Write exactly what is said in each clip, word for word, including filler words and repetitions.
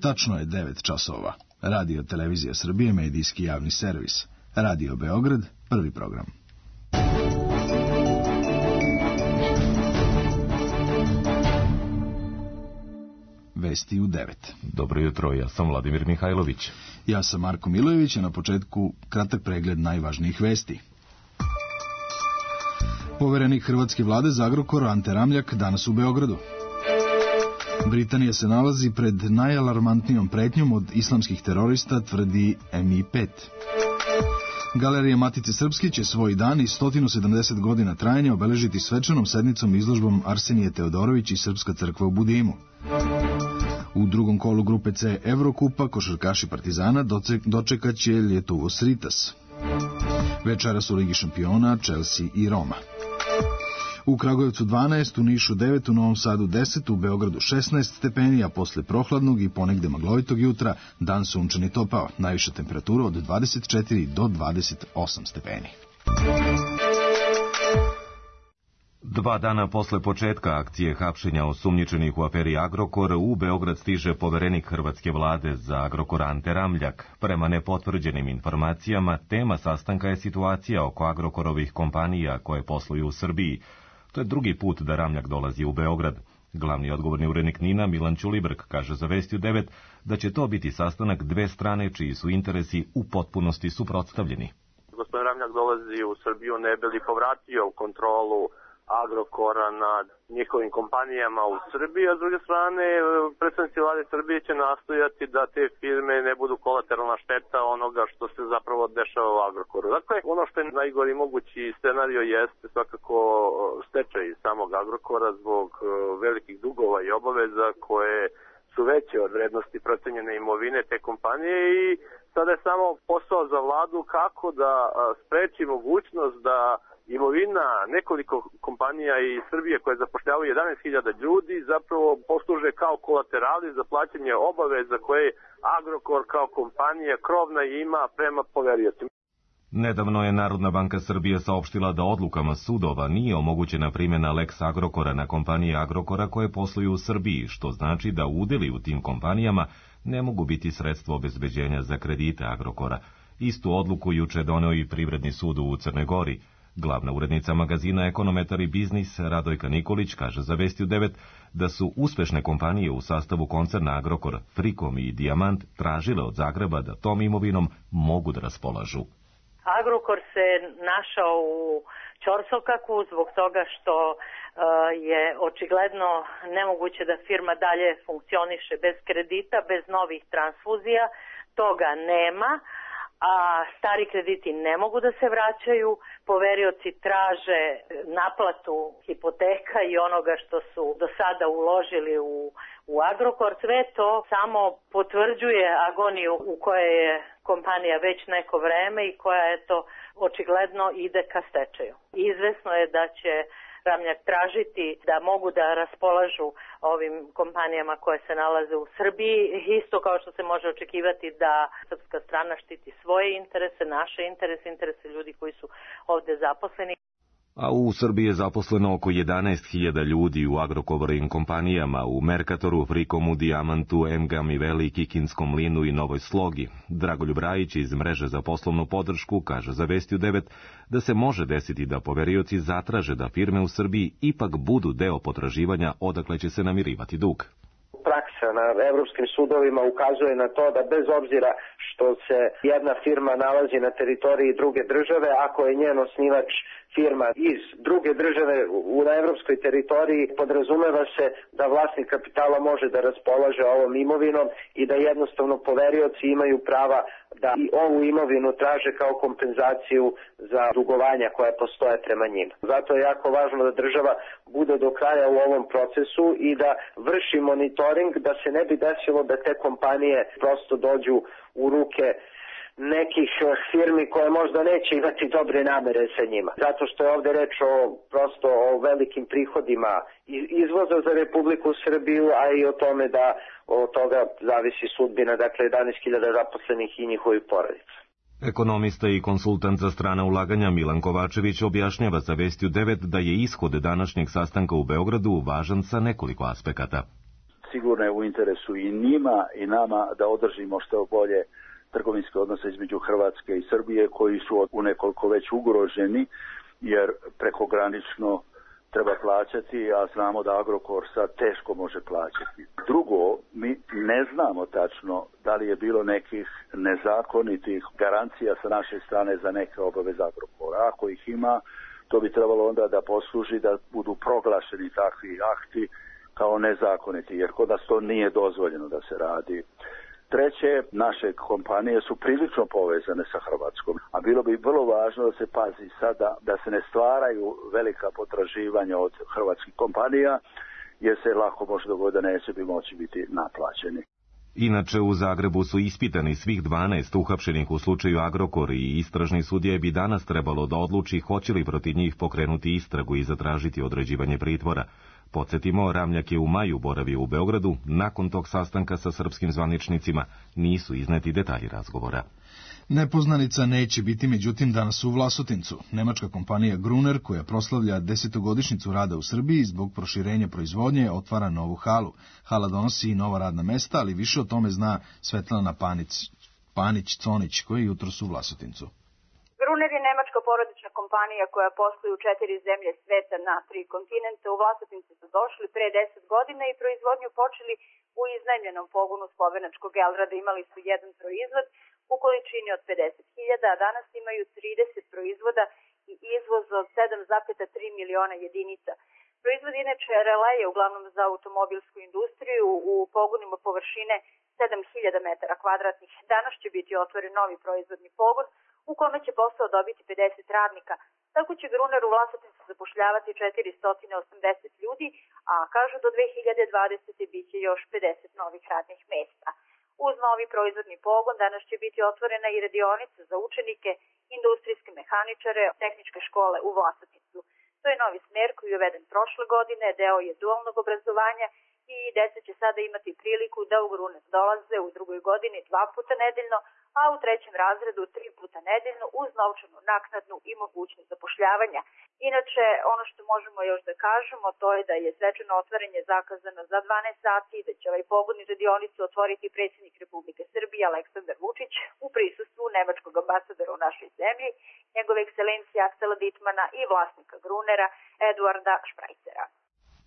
Tačno je devet časova. Radio Televizija Srbije, medijski javni servis. Radio Beograd, prvi program. Vesti u devet. Dobro jutro, ja sam Vladimir Mihajlović. Ja sam Marko Milojević, a na početku kratak pregled najvažnijih vesti. Poverenik hrvatske vlade za Agrokor Ante Ramljak danas u Beogradu. Britanija se nalazi pred najalarmantnijom pretnjom od islamskih terorista, tvrdi M I pet. Galerija Matice Srpske će svoj dan i sto sedamdeset godina trajanja obeležiti svečanom sednicom izložbom Arsenije Teodorović i Srpska crkva u Budimu. U drugom kolu grupe C Evrokupa košarkaši Partizana dočekat će Lietuvos Ritas. Večeras u Ligi šampiona Chelsea i Roma. U Kragujevcu dvanaest, u Nišu devet, u Novom Sadu deset, u Beogradu šesnaest stepeni, a posle prohladnog i ponegde maglovitog jutra dan sunčan i topao. Najviša temperatura od dvadeset četiri do dvadeset osam stepeni. Dva dana posle početka akcije hapšenja osumnjičenih u aferi Agrokor, u Beograd stiže poverenik hrvatske vlade za Agrokor Ante Ramljak. Prema nepotvrđenim informacijama, tema sastanka je situacija oko Agrokorovih kompanija koje posluju u Srbiji. To je drugi put da Ramljak dolazi u Beograd. Glavni odgovorni urednik NIN-a Milan Ćulibrk kaže za Vesti u devet da će to biti sastanak dve strane čiji su interesi u potpunosti suprotstavljeni. Gospodin Ramljak dolazi u Srbiju ne bi li povratio kontrolu Agrokora nad njihovim kompanijama u Srbiji, a s druge strane predstavnici vlade Srbije će nastojati da te firme ne budu kolateralna šteta onoga što se zapravo dešava u Agrokoru. Dakle, ono što je najgori mogući scenario jeste svakako stečaj samog Agrokora zbog velikih dugova i obaveza koje su veće od vrednosti procenjene imovine te kompanije i sada je samo posao za vladu kako da spreči mogućnost da imovina nekoliko kompanija iz Srbije koje zapošljavaju jedanaest hiljada ljudi zapravo posluže kao kolaterali za plaćanje obaveza koje Agrokor kao kompanija krovna ima prema poveriocima. Nedavno je Narodna banka Srbije saopštila da odlukama sudova nije omogućena primjena Lex Agrokora na kompanije Agrokora koje posluju u Srbiji, što znači da udeli u tim kompanijama ne mogu biti sredstvo obezbeđenja za kredite Agrokora. Istu odluku juče doneo i Privredni sud u Crnoj Gori. Glavna urednica magazina Ekonometar i biznis Radojka Nikolić kaže za Vesti u devet da su uspešne kompanije u sastavu koncerna Agrokor, Frikom i Dijamant tražile od Zagreba da tom imovinom mogu da raspolažu. Agrokor se našao u ćorsokaku zbog toga što uh, je očigledno nemoguće da firma dalje funkcioniše bez kredita, bez novih transfuzija, toga nema. A stari krediti ne mogu da se vraćaju, poverioci traže naplatu hipoteka i onoga što su do sada uložili u, u Agrokor. Sve to samo potvrđuje agoniju u kojoj je kompanija već neko vreme i koja je to očigledno ide ka stečaju. Izvesno je da će Ramljak tražiti da mogu da raspolažu ovim kompanijama koje se nalaze u Srbiji, isto kao što se može očekivati da srpska strana štiti svoje interese, naše interese, interese ljudi koji su ovde zaposleni. A u Srbiji je zaposleno oko jedanaest hiljada ljudi u Agrokorovim kompanijama, u Merkatoru, Frikomu, Dijamantu, Emgamiveli, Kikinskom mlinu i Novoj Slogi. Dragoljub Rajić iz mreže za poslovnu podršku kaže za Vesti u devet da se može desiti da poverioci zatraže da firme u Srbiji ipak budu deo potraživanja odakle će se namirivati dug. Praksa na evropskim sudovima ukazuje na to da bez obzira što se jedna firma nalazi na teritoriji druge države, ako je njen osnivač firma iz druge države u na evropskoj teritoriji, podrazumeva se da vlasnik kapitala može da raspolaže ovom imovinom i da jednostavno poverioci imaju prava da i ovu imovinu traže kao kompenzaciju za dugovanja koja postoje prema njima. Zato je jako važno da država bude do kraja u ovom procesu i da vrši monitoring, da se ne bi desilo da te kompanije prosto dođu u ruke nekih firmi koje možda neće imati dobre namere sa njima. Zato što je ovde reč o prosto o velikim prihodima izvoza za Republiku Srbiju, a i o tome da od toga zavisi sudbina, dakle jedanaest hiljada zaposlenih i njihovih porodica. Ekonomista i konsultant za strana ulaganja Milan Kovačević objašnjava za Vesti u devet da je ishod današnjeg sastanka u Beogradu važan sa nekoliko aspekata. sigurno je u interesu i njima i nama da održimo što bolje trgovinske odnose između Hrvatske i Srbije, koji su u nekoliko već ugroženi, jer prekogranično treba plaćati, a znamo da Agrokor sad teško može plaćati. Drugo, mi ne znamo tačno da li je bilo nekih nezakonitih garancija sa naše strane za neke obaveze Agrokora. Ako ih ima, to bi trebalo onda da posluži da budu proglašeni takvi akti kao nezakoniti, jer kod nas to nije dozvoljeno da se radi. Treće, naše kompanije su prilično povezane sa Hrvatskom, a bilo bi vrlo važno da se pazi sada da se ne stvaraju velika potraživanja od hrvatskih kompanija, jer se lako može dogoditi da neće bi moći biti naplaćeni. Inače, u Zagrebu su ispitani svih dvanaest uhapšenih u slučaju Agrokor i istražni sudija bi danas trebalo da odluči hoće li protiv njih pokrenuti istragu i zatražiti određivanje pritvora. Podsjetimo, Ramljak je u maju boravio u Beogradu, nakon tog sastanka sa srpskim zvaničnicima nisu izneti detalji razgovora. Nepoznanica neće biti međutim danas u Vlasotincu. Nemačka kompanija Gruner, koja proslavlja desetogodišnjicu rada u Srbiji, zbog proširenja proizvodnje otvara novu halu. Hala donosi i nova radna mesta, ali više o tome zna Svetlana Panić, Panić-Conić, koji je jutros u Vlasotincu. Gruner je nemačka porodična kompanija koja posluje u četiri zemlje sveta na tri kontinenta. U Vlasotince su došli pre deset godina i proizvodnju počeli u iznajmljenom pogonu slovenačkog Elrada. Imali su jedan proizvod u količini od pedeset hiljada, a danas imaju trideset proizvoda i izvoz od sedam zarez tri miliona jedinica. Proizvod inače releje uglavnom za automobilsku industriju u pogonima površine sedam hiljada metara kvadratnih. Danas će biti otvoren novi proizvodni pogon u kome će posao dobiti pedeset radnika. Tako će Gruner u Vlasotincu zapošljavati četiristo osamdeset ljudi, a kažu do dve hiljade dvadesete. biće još pedeset novih radnih mesta. Uz novi proizvodni pogon danas će biti otvorena i radionica za učenike, industrijske mehaničare, tehničke škole u Vlasotincu. To je novi smer koji je uveden prošle godine, deo je dualnog obrazovanja i deca će sada imati priliku da u Gruner dolaze u drugoj godini dva puta nedeljno, a u trećem razredu tri puta nedeljno uz novčanu naknadnu i mogućnost zapošljavanja. Inače, ono što možemo još da kažemo, to je da je svečano otvaranje zakazano za dvanaest sati i da će ovaj pogon i radionicu otvoriti predsjednik Republike Srbije Aleksandar Vučić u prisustvu nemačkog ambasadora u našoj zemlji, njegove ekscelencije Aksela Ditmana i vlasnika Grunera Eduarda Šprajcera.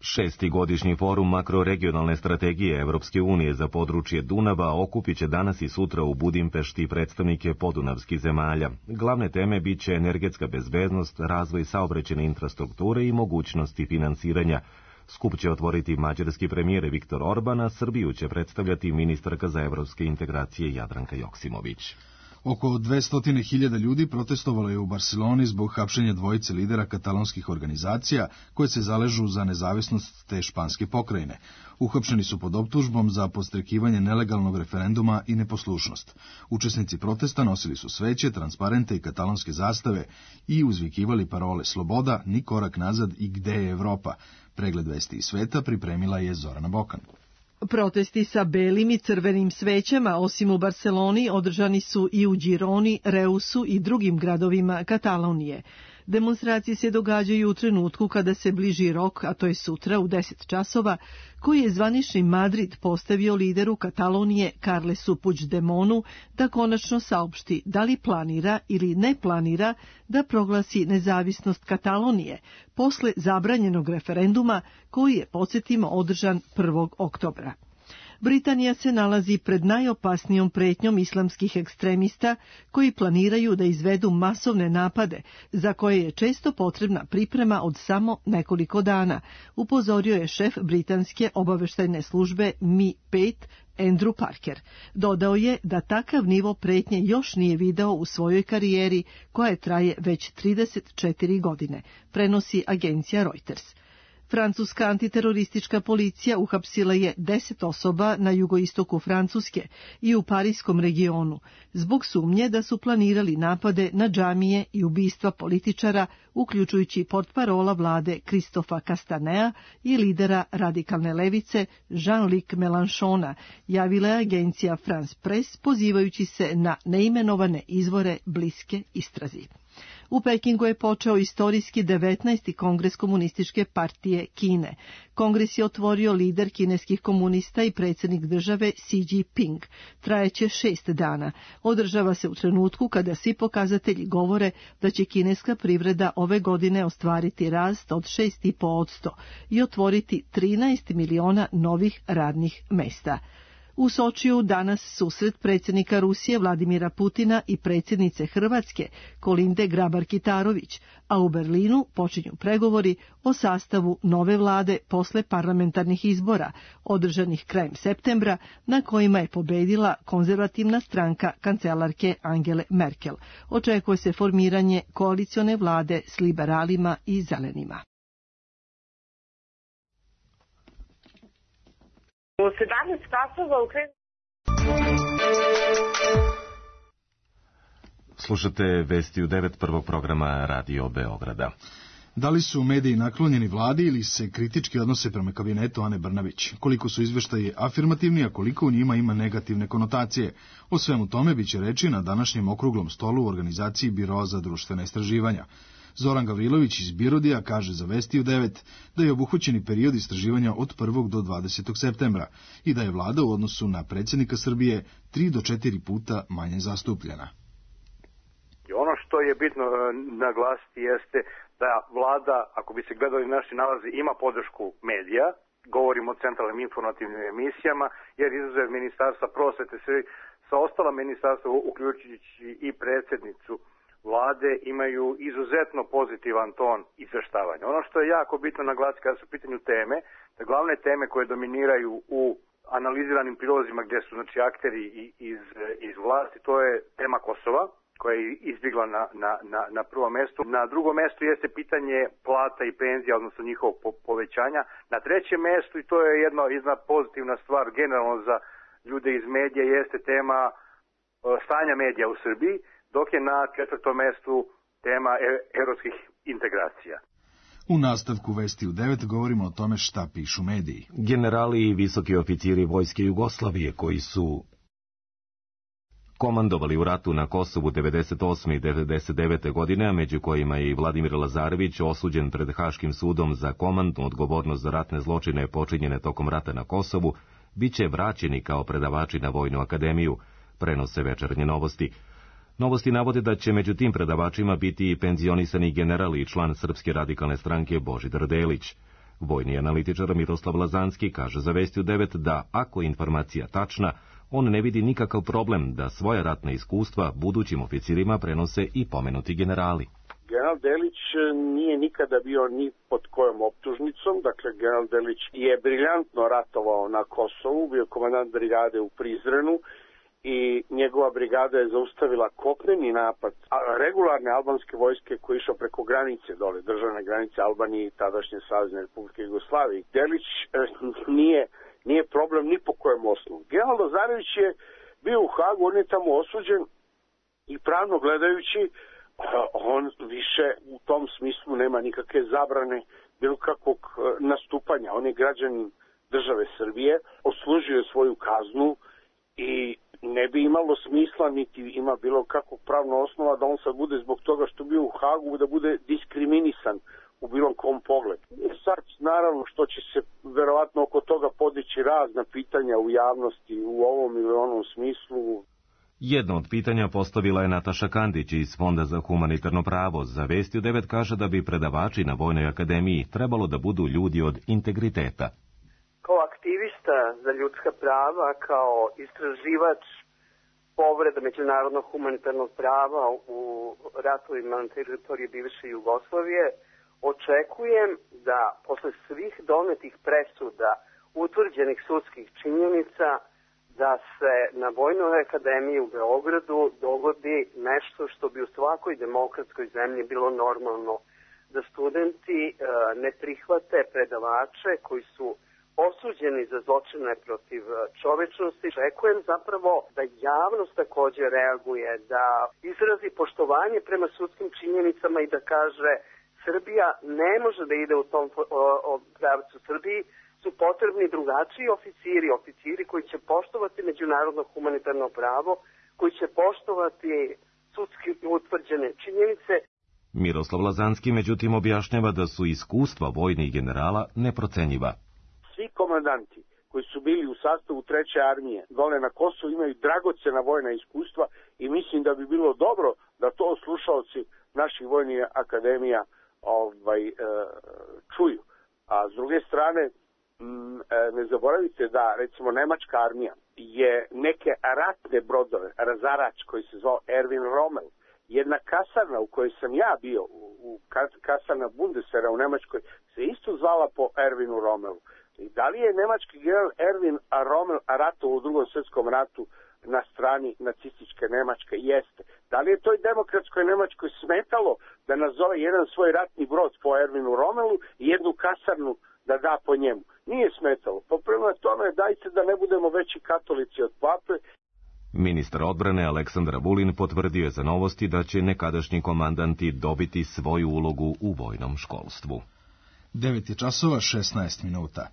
Šesti godišnji forum makroregionalne strategije Evropske unije za područje Dunava okupit će danas i sutra u Budimpešti predstavnike podunavskih zemalja. Glavne teme bit će energetska bezbednost, razvoj saobraćajne infrastrukture i mogućnosti finansiranja. Skup će otvoriti mađarski premijer Viktor Orban, a Srbiju će predstavljati ministarka za evropske integracije Jadranka Joksimović. Oko dvesta hiljada ljudi protestovalo je u Barceloni zbog hapšenja dvojice lidera katalonskih organizacija koje se zaležu za nezavisnost te španske pokrajine. Uhapšeni su pod optužbom za podstrekivanje nelegalnog referenduma i neposlušnost. Učesnici protesta nosili su sveće, transparente i katalonske zastave i uzvikivali parole sloboda, ni korak nazad i gde je Evropa. Pregled vesti iz sveta pripremila je Zorana Bokan. Protesti sa belim i crvenim svećama, osim u Barceloni, održani su i u Gironi, Reusu i drugim gradovima Katalonije. Demonstracije se događaju u trenutku kada se bliži rok, a to je sutra u deset časova, koji je zvanični Madrid postavio lideru Katalonije Carlesu Puigdemonu da konačno saopšti da li planira ili ne planira da proglasi nezavisnost Katalonije posle zabranjenog referenduma koji je, podsjetimo, održan prvog oktobra. Britanija se nalazi pred najopasnijom pretnjom islamskih ekstremista koji planiraju da izvedu masovne napade, za koje je često potrebna priprema od samo nekoliko dana, upozorio je šef britanske obaveštajne službe M I pet Andrew Parker. Dodao je da takav nivo pretnje još nije video u svojoj karijeri, koja traje već trideset četiri godine, prenosi agencija Reuters. Francuska antiteroristička policija uhapsila je deset osoba na jugoistoku Francuske i u parijskom regionu zbog sumnje da su planirali napade na džamije i ubistva političara, uključujući portparola vlade Kristofa Castanea i lidera radikalne levice Jean-Luc Mélenchona, javila je agencija France Press pozivajući se na neimenovane izvore bliske istrazi. U Pekingu je počeo istorijski devetnaesti kongres Komunističke partije Kine. Kongres je otvorio lider kineskih komunista i predsjednik države Xi Jinping. Trajeće šest dana. Održava se u trenutku kada svi pokazatelji govore da će kineska privreda ove godine ostvariti rast od šest zarez pet posto i otvoriti trinaest miliona novih radnih mesta. U Sočiju danas susret predsjednika Rusije Vladimira Putina i predsjednice Hrvatske Kolinde Grabar-Kitarović, a u Berlinu počinju pregovori o sastavu nove vlade posle parlamentarnih izbora, održanih krajem septembra, na kojima je pobedila konzervativna stranka kancelarke Angele Merkel. Očekuje se formiranje koalicione vlade s liberalima i zelenima. U sedamnaest časova u Krenu... Slušate vesti u devet prvog programa Radio Beograda. Da li su mediji naklonjeni vladi ili se kritički odnose prema kabinetu Ane Brnabić? Koliko su izveštaji afirmativni, a koliko u njima ima negativne konotacije? O svemu tome biće reči na današnjem okruglom stolu u organizaciji Biroa za društvena istraživanja. Zoran Gavrilović iz Birodija kaže za Vesti u devet da je obuhvaćeni period istraživanja od prvog do dvadesetog septembra i da je vlada u odnosu na predsjednika Srbije tri do četiri puta manje zastupljena. Ono što je bitno naglasiti jeste da vlada, ako bi se gledali naši nalazi, ima podršku medija, govorimo o centralnim informativnim emisijama, jer izuzev ministarstva prosvete se sa ostala ministarstva, uključujući i predsjednicu vlade, imaju izuzetno pozitivan ton izveštavanja. Ono što je jako bitno naglasiti kada su u pitanju teme, da glavne teme koje dominiraju u analiziranim prilozima gdje su znači akteri iz, iz vlasti, to je tema Kosova, koja je izbjegla na, na, na, na prvom mjestu. Na drugom mjestu jeste pitanje plata i penzija, odnosno njihovog po, povećanja. Na trećem mjestu, i to je jedna, jedna pozitivna stvar generalno za ljude iz medija, jeste tema e, stanja medija u Srbiji, dok je na četvrtom mjestu tema e, europskih integracija. U nastavku Vesti u devet govorimo o tome šta pišu mediji. Generali i visoki oficiri vojske Jugoslavije koji su komandovali u ratu na Kosovu devedeset osme i devedeset devete godine, a među kojima je i Vladimir Lazarević osuđen pred Haškim sudom za komandnu odgovornost za ratne zločine počinjene tokom rata na Kosovu, bit će vraćeni kao predavači na Vojnu akademiju, prenose Večernje novosti. Novosti navode da će među tim predavačima biti i penzionisani general i član Srpske radikalne stranke Božidar Delić. Vojni analitičar Miroslav Lazanski kaže za Vesti u devet da, ako je informacija tačna, on ne vidi nikakav problem da svoja ratna iskustva budućim oficirima prenose i pomenuti generali. General Delić nije nikada bio ni pod kojom optužnicom, dakle general Delić je briljantno ratovao na Kosovu, bio komandant brigade u Prizrenu i njegova brigada je zaustavila kopneni napad regularne albanske vojske koji je išao preko granice dole, državne granice Albanije i tadašnje Savezne Republike Jugoslavije. Delić nije Nije problem ni po kojem osnovu. General Lazarević je bio u Hagu, on je tamo osuđen i pravno gledajući on više u tom smislu nema nikakve zabrane bilo kakvog nastupanja. On je građanin države Srbije, odslužio je svoju kaznu i ne bi imalo smisla niti ima bilo kakvog pravno osnova da on sad bude zbog toga što bio u Hagu da bude diskriminisan u bilo kom pogledu. Sad, naravno, što će se verovatno oko toga podići razna pitanja u javnosti u ovom ili onom smislu. Jedno od pitanja postavila je Nataša Kandić iz Fonda za humanitarno pravo. Za Vesti u devet kaže da bi predavači na Vojnoj akademiji trebalo da budu ljudi od integriteta. Kao aktivista za ljudska prava, kao istraživač povreda međunarodnog humanitarnog prava u ratovima na teritoriji bivše Jugoslavije, očekujem da posle svih donetih presuda, utvrđenih sudskih činjenica, da se na Vojnoj akademiji u Beogradu dogodi nešto što bi u svakoj demokratskoj zemlji bilo normalno, da studenti e, ne prihvate predavače koji su osuđeni za zločine protiv čovečnosti. Očekujem zapravo da javnost takođe reaguje, da izrazi poštovanje prema sudskim činjenicama i da kaže Srbija ne može da ide u tom pravcu. Srbiji su potrebni drugačiji oficiri, oficiri koji će poštovati međunarodno humanitarno pravo, koji će poštovati sudski utvrđene činjenice. Miroslav Lazanski međutim objašnjava da su iskustva vojnih generala neprocenjiva. Svi komandanti koji su bili u sastavu treće armije dole na Kosovu imaju dragocena vojna iskustva i mislim da bi bilo dobro da to slušaoci naših vojnih akademija ovaj, e, čuju. A s druge strane, m, e, ne zaboravite da recimo nemačka armija je neke ratne brodove, razarač koji se zvao Erwin Rommel, jedna kasarna u kojoj sam ja bio, u kasarna Bundeswehra u Nemačkoj, se isto zvala po Erwinu Rommelu. I da li je nemački general Erwin Rommel ratovao u drugom svjetskom ratu na strani nacističke Nemačke? Jeste. Da li je toj demokratskoj Nemačkoj smetalo da nazove jedan svoj ratni brod po Erwinu Rommelu i jednu kasarnu da da po njemu? Nije smetalo. Pa prema tome dajte da ne budemo veći katolici od pape. Ministar odbrane Aleksandar Vulin potvrdio je za Novosti da će nekadašnji komandanti dobiti svoju ulogu u vojnom školstvu. devet je časova šesnaest minuta.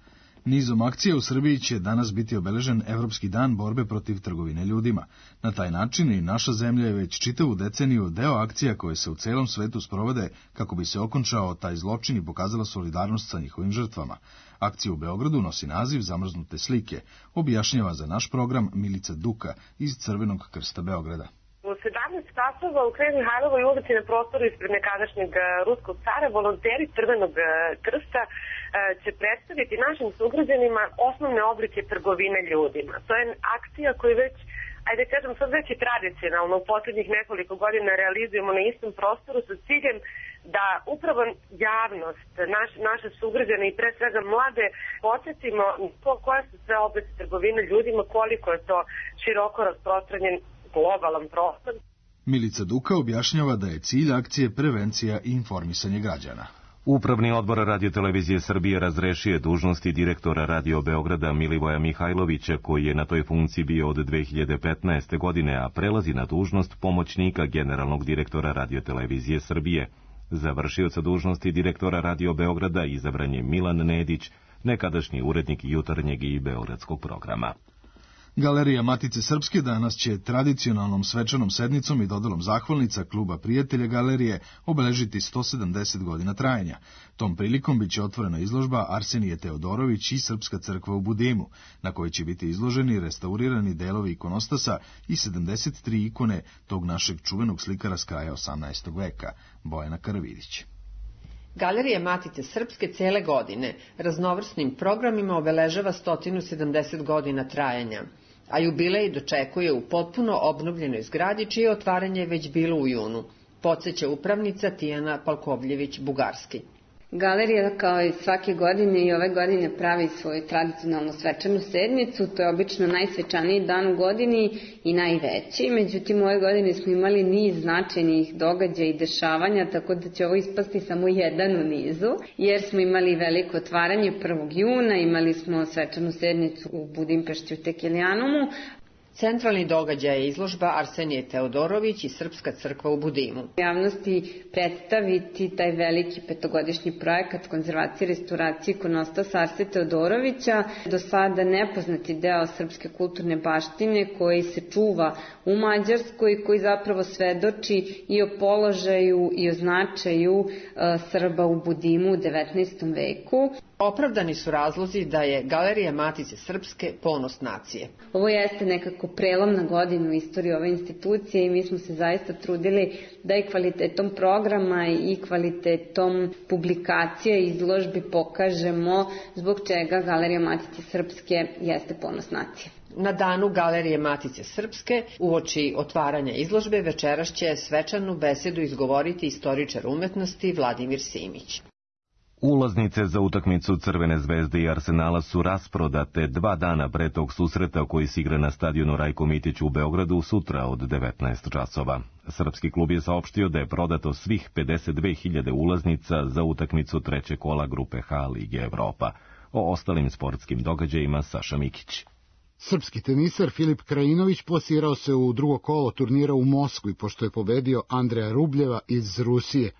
Nizom akcija u Srbiji će danas biti obeležen Evropski dan borbe protiv trgovine ljudima. Na taj način i naša zemlja je već čitavu deceniju deo akcija koje se u celom svetu sprovode kako bi se okončao taj zločin i pokazala solidarnost sa njihovim žrtvama. Akcija u Beogradu nosi naziv Zamrznute slike, objašnjava za naš program Milica Duka iz Crvenog krsta Beograda. U sedamnaest časova u Knez Mihajlovoj ulici na prostoru ispred nekadašnjeg ruskog cara volonteri Crvenog krsta će predstaviti našim sugrađanima osnovne oblike trgovine ljudima. To je akcija koju već, ajde kažem, sad već i tradicionalno u posljednjih nekoliko godina realizujemo na istom prostoru sa ciljem da upravo javnost, naš, naše sugrađane i pre svega mlade podsjetimo koja su sve oblici trgovine ljudima, koliko je to široko rasprostranjen globalan prostor. Milica Duka objašnjava da je cilj akcije prevencija i informisanje građana. Upravni odbor Radiotelevizije Srbije razrešio je dužnosti direktora Radio Beograda Milivoja Mihajlovića, koji je na toj funkciji bio od dve hiljade petnaeste. godine, a prelazi na dužnost pomoćnika generalnog direktora Radiotelevizije Srbije. Za vršioca dužnosti direktora Radio Beograda izabran je Milan Nedić, nekadašnji urednik jutarnjeg i beogradskog programa. Galerija Matice Srpske danas će tradicionalnom svečanom sednicom i dodalom zahvalnica Kluba prijatelja galerije obeležiti sto sedamdeset godina trajanja. Tom prilikom biće otvorena izložba Arsenije Teodorović i Srpska crkva u Budimu, na kojoj će biti izloženi restaurirani delovi ikonostasa i sedamdeset tri ikone tog našeg čuvenog slikara s kraja osamnaestog veka, Bojana Karavidić. Galerija Matice Srpske cele godine raznovrsnim programima obeležava sto sedamdeset godina trajanja, a jubilej dočekuje u potpuno obnovljenoj zgradi čije otvaranje je već bilo u junu, podseća upravnica Tijana Palkovljević-Bugarski. Galerija kao i svake godine i ove godine pravi svoju tradicionalnu svečanu sednicu, to je obično najsvečaniji dan u godini i najveći, međutim ove godine smo imali niz značajnih događaja i dešavanja, tako da će ovo ispasti samo jedan u nizu, jer smo imali veliko otvaranje prvog juna, imali smo svečanu sednicu u Budimpešti u Tekelijanumu. Centralni događaj je izložba Arsenije Teodorović i Srpska crkva u Budimu. Javnosti predstaviti taj veliki petogodišnji projekat konzervacije i restauracije ikonostasa Arsije Teodorovića, do sada nepoznati deo srpske kulturne baštine koji se čuva u Mađarskoj i koji zapravo svedoči i o položaju i o značaju uh, Srba u Budimu u devetnaestom veku. Opravdani su razlozi da je Galerija Matice Srpske ponos nacije. Ovo jeste nekako prelomna godina u istoriji ove institucije i mi smo se zaista trudili da i kvalitetom programa i kvalitetom publikacija i izložbi pokažemo zbog čega Galerija Matice Srpske jeste ponos nacije. Na danu Galerije Matice Srpske, uoči otvaranja izložbe, večeras će svečanu besedu izgovoriti istoričar umetnosti Vladimir Simić. Ulaznice za utakmicu Crvene zvezde i Arsenala su rasprodate dva dana pre tog susreta koji se igra na stadionu Rajko Mitić u Beogradu sutra od devetnaest časova. Srpski klub je saopštio da je prodato svih pedeset dve hiljade ulaznica za utakmicu trećeg kola grupe H Lige Evropa. O ostalim sportskim događajima Saša Mikić. Srpski tenisar Filip Krajinović plasirao se u drugo kolo turnira u Moskvi pošto je pobedio Andreja Rubljeva iz Rusije.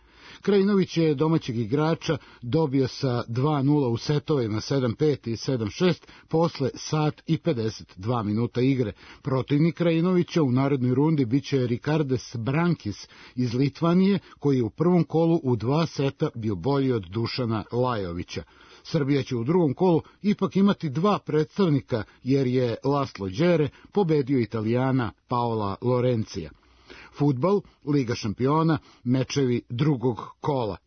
Krajinović je domaćeg igrača dobio sa dva nula u setovima sedam pet i sedam šest posle sat i pedeset dva minuta igre. Protivnik Krajinovića u narednoj rundi biće Rikardes Brankis iz Litvanije, koji je u prvom kolu u dva seta bio bolji od Dušana Lajovića. Srbija će u drugom kolu ipak imati dva predstavnika, jer je Laslo Đere pobedio Italijana Paola Lorencija. Fudbal, Liga šampiona, mečevi drugog kola.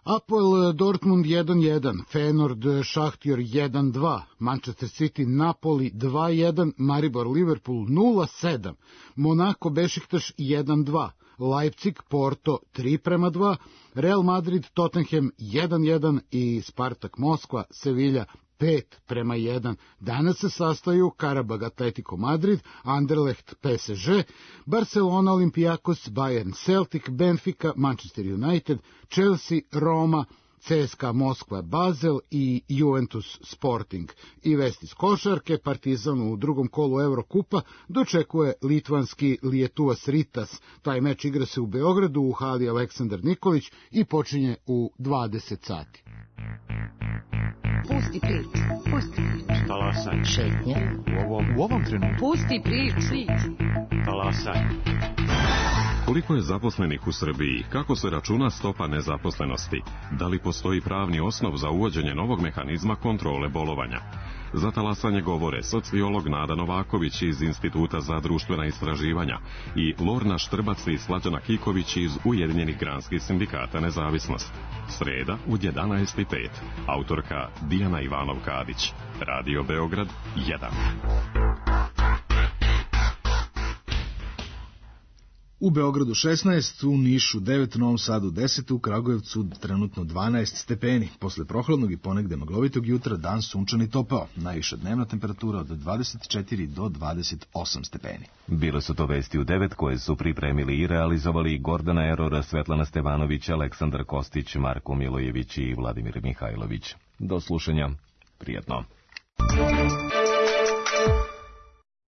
Apoel Dortmund jedan jedan, Feyenoord Šahtjor jedan dva, Manchester City Napoli dva jedan, Maribor Liverpool nula sedam, Monako Bešiktaš jedan dva, Leipzig Porto tri prema dva, Real Madrid Tottenham jedan jedan i Spartak Moskva Sevilja pet prema jedan. Danas se sastaju Karabag Atletico Madrid, Anderlecht P S G, Barcelona Olympiakos, Bayern Celtic, Benfica, Manchester United, Chelsea, Roma, C S K A Moskva Basel i Juventus Sporting. I vest iz košarke, Partizan u drugom kolu Evrokupa dočekuje litvanski Lietuvas Ritas. Taj meč igra se u Beogradu u hali Aleksandar Nikolić i počinje u dvadeset sati. Pusti priču, pusti priču. Talasaj. Šetnja. U ovom, u ovom trenutku. Pusti priču. Talasaj. Koliko je zaposlenih u Srbiji? Kako se računa stopa nezaposlenosti? Da li postoji pravni osnov za uvođenje novog mehanizma kontrole bolovanja? Za talasanje govore sociolog Nada Novaković iz Instituta za društvena istraživanja i Lorna Štrbac i Slađana Kiković iz Ujedinjenih granskih sindikata Nezavisnost. Sreda u jedanaest i pet. Autorka Dijana Ivanov-Kadić. Radio Beograd jedan. U Beogradu šesnaest, u Nišu devet, u Novom Sadu deset, u Kragujevcu trenutno dvanaest stepeni. Posle prohladnog i ponegde maglovitog jutra dan sunčan i topao. Najviša dnevna temperatura od dvadeset četiri do dvadeset osam stepeni. Bile su to vesti u devet koje su pripremili i realizovali Gordana Erora, Svetlana Stevanović, Aleksandar Kostić, Marko Milojević i Vladimir Mihajlović. Do slušanja. Prijetno.